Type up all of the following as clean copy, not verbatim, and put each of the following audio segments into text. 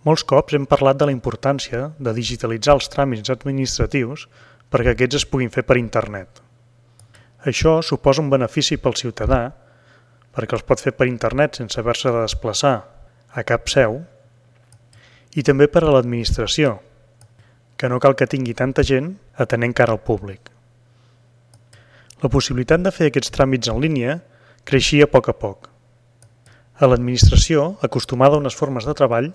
Molts cops hem parlat de la importància de digitalitzar els tràmits administratius perquè aquests es puguin fer per internet. Això suposa un benefici pel ciutadà perquè els pot fer per internet sense haver-se de desplaçar a cap seu i també per a l'administració, que no cal que tingui tanta gent atenent cara al públic. La possibilitat de fer aquests tràmits en línia creixia a poc. A l'administració, acostumada a unes formes de treball,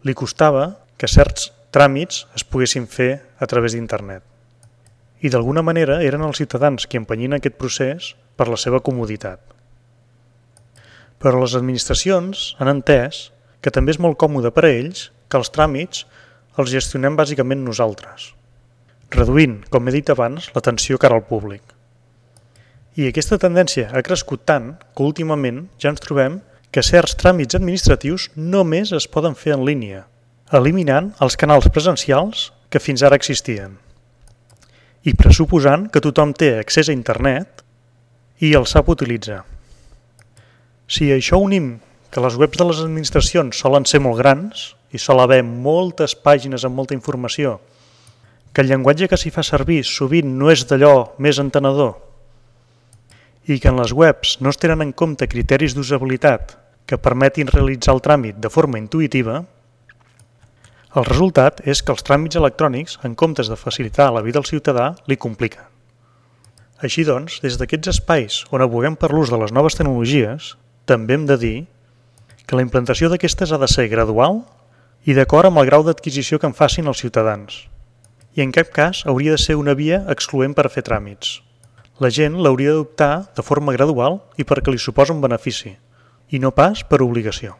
li costava que certs tràmits es poguessin fer a través d'internet. I d'alguna manera eren els ciutadans qui empenyien aquest procés per la seva comoditat. Però les administracions han entès que també és molt còmode per a ells que els tràmits els gestionem bàsicament nosaltres, reduint, com he dit abans, l'atenció cara al públic. I aquesta tendència ha crescut tant que últimament ja ens trobem que certs tràmits administratius només es poden fer en línia, eliminant els canals presencials que fins ara existien i pressuposant que tothom té accés a internet i el sap utilitzar. Si a això unim que les webs de les administracions solen ser molt grans i sol haver moltes pàgines amb molta informació, que el llenguatge que s'hi fa servir sovint no és d'allò més entenedor i que en les webs no es tenen en compte criteris d'usabilitat que permetin realitzar el tràmit de forma intuïtiva, el resultat és que els tràmits electrònics, en comptes de facilitar la vida al ciutadà, li compliquen. Així doncs, des d'aquests espais on aboguem per l'ús de les noves tecnologies, també hem de dir que la implantació d'aquestes ha de ser gradual i d'acord amb el grau d'adquisició que en facin els ciutadans. I en cap cas hauria de ser una via excloent per a fer tràmits. La gent l'hauria d'adoptar de forma gradual i perquè li suposa un benefici, i no pas per obligació.